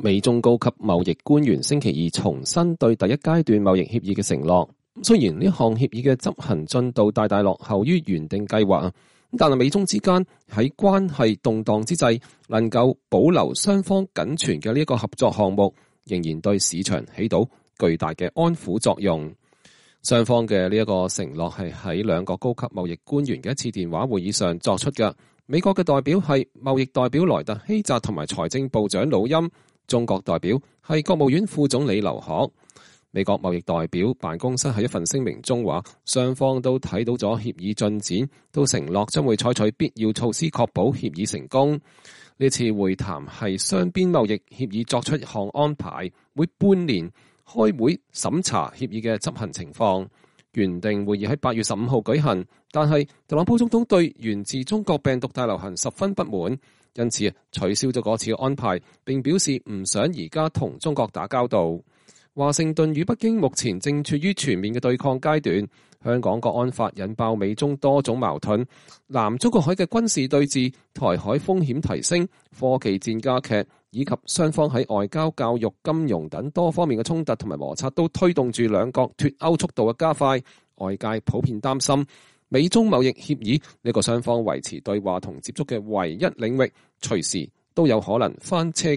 美中高級貿易官員星期二重申對第一階段貿易協議嘅承諾。雖然呢項協議嘅執行進度大大落後於原定計劃，但係美中之間喺關係動盪之際，能夠保留雙方僅存嘅呢一個合作項目，仍然對市場起到巨大嘅安撫作用。雙方嘅呢一個承諾係喺兩個高級貿易官員嘅一次電話會議上作出嘅。美國嘅代表係貿易代表萊特希澤同埋財政部長魯欽，中國代表係國務院副總理劉鶴。美國貿易代表辦公室喺一份聲明中話，雙方都睇到咗協議進展，都承諾將會採取必要措施確保協議成功。呢次會談係雙邊貿易協議作出一項安排，每半年開會審查協議嘅執行情況。原定會議喺8月15號舉行，但係特朗普總統對源自中國病毒大流行十分不滿，因此取消咗嗰次嘅安排，並表示唔想而家同中國打交道。華盛頓與北京目前正處於全面嘅對抗階段，香港國安法引爆美中多種矛盾，南中國海嘅軍事對峙、台海風險提升、科技戰加劇，以及雙方喺外交、教育、金融等多方面嘅衝突同埋摩擦，都推動住兩國脫歐速度嘅加快。外界普遍擔心美中貿易協議呢個雙方維持對話同接觸嘅唯一領域，隨時都有可能翻車。